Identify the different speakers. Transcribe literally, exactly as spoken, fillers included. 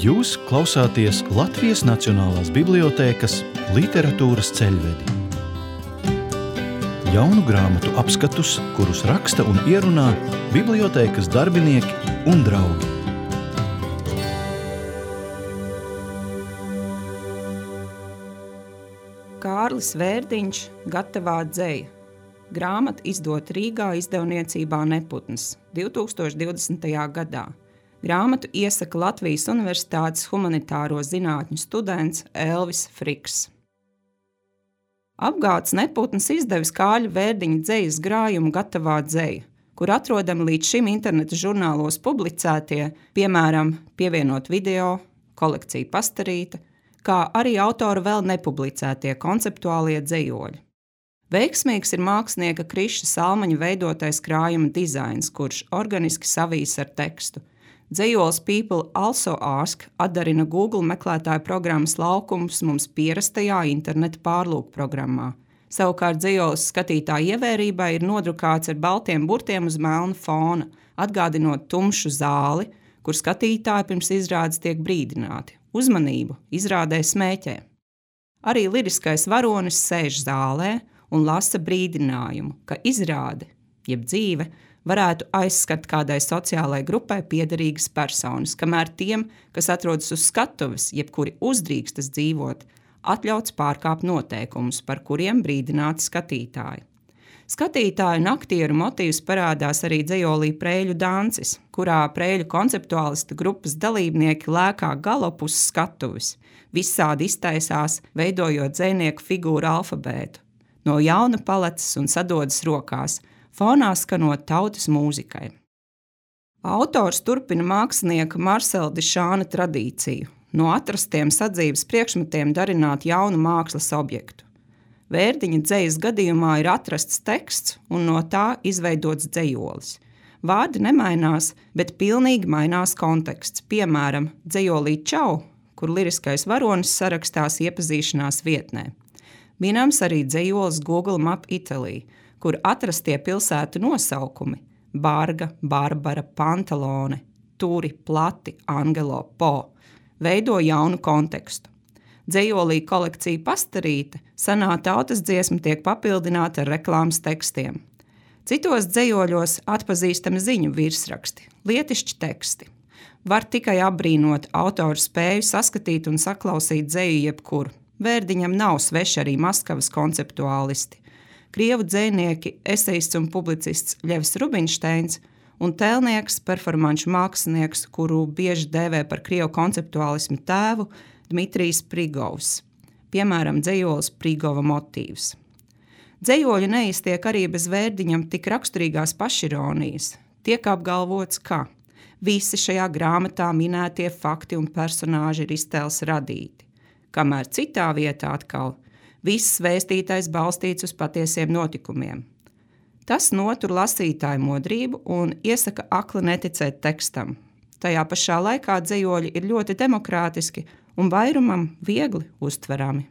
Speaker 1: Jūs klausāties Latvijas Nacionālās bibliotēkas literatūras ceļvedi. Jaunu grāmatu apskatus, kurus raksta un ierunā bibliotēkas darbinieki un draugi.
Speaker 2: Kārlis Vērdiņš gatavā dzeja. Grāmata izdota Rīgā izdevniecībā Neputns divi tūkstoši divdesmitajā gadā. Grāmatu iesaka Latvijas Universitātes humanitāro zinātņu students Elvis Friks. Apgāds Neputns izdevis Kārļa Vērdiņa dzejas grājumu Gatavā dzeja, kur atrodami līdz šim interneta žurnālos publicētie, piemēram, pievienot video, kolekcija pastarīta, kā arī autora vēl nepublicētie konceptuālie dzejoļi. Veiksmīgs ir mākslinieka Kriša Salmaņa veidotais krājuma dizains, kurš organiski savijas ar tekstu. Dzejols People Also Ask atdarina Google meklētāju programmas laukumus mums pierastajā interneta pārlūkprogrammā. Savukārt dzejols skatītāja ievērībai ir nodrukāts ar baltiem burtiem uz melna fona, atgādinot tumšu zāli, kur skatītāji pirms izrādes tiek brīdināti. Uzmanību, izrādē smēķē. Arī liriskais varonis sēž zālē un lasa brīdinājumu, ka izrāde, jeb dzīve, varētu aizskart kādai sociālai grupai piederīgas personas, kamēr tiem, kas atrodas uz skatuves, jebkuri uzdrīkstas dzīvot, atļauts pārkāpt noteikumus, par kuriem brīdināti skatītāji. Skatītāju un aktieru motīvs parādās arī dzejolī Prēļu dancis, kurā prēļu konceptuālistu grupas dalībnieki lēkā galopu uz skatuves, visādi iztaisās, veidojot dzejnieku figūru alfabētu. No jauna paleces un sadodas rokās, fonā skanot tautas mūzikai. Autors turpina mākslinieka Marcela Dišāna tradīciju, no atrastiem sadzīves priekšmetiem darināt jaunu mākslas objektu. Vērdiņa dzejas gadījumā ir atrasts teksts un no tā izveidots dzejolis. Vārdi nemainās, bet pilnīgi mainās konteksts, piemēram, dzejolī Čau, kur liriskais varonis sarakstās iepazīšanās vietnē. Minams arī dzejolis Google Map Italy, kur atrastie pilsētu nosaukumi – Barga, Barbara, Pantalone, Turi, Plati, Angelo, Po – veido jaunu kontekstu. Dzejolī kolekcija pastarīta, senā tautas dziesma tiek papildināta ar reklāmas tekstiem. Citos dzejoļos atpazīstami ziņu virsraksti, lietišķi teksti. Var tikai apbrīnot autoru spēju saskatīt un saklausīt dzeju jebkur. Vērdiņam nav sveši arī Maskavas konceptuālisti. Krievu dzejnieki, esejists un publicists Ļevs Rubinšteins un tēlnieks, performanču mākslinieks, kuru bieži dēvē par krievu konceptuālismu tēvu, Dmitrijs Prigovs, piemēram, dzejolis Prigova motīvs. Dzejoļi neiztiek arī bez Vērdiņam tik raksturīgās pašironijas. Tiek apgalvots, ka visi šajā grāmatā minētie fakti un personāži ir iztēles radīti, kamēr citā vietā atkal viss vēstītais balstīts uz patiesiem notikumiem. Tas notur lasītāju modrību un iesaka akli neticēt tekstam. Tajā pašā laikā dzejoļi ir ļoti demokrātiski un vairumam viegli uztverami.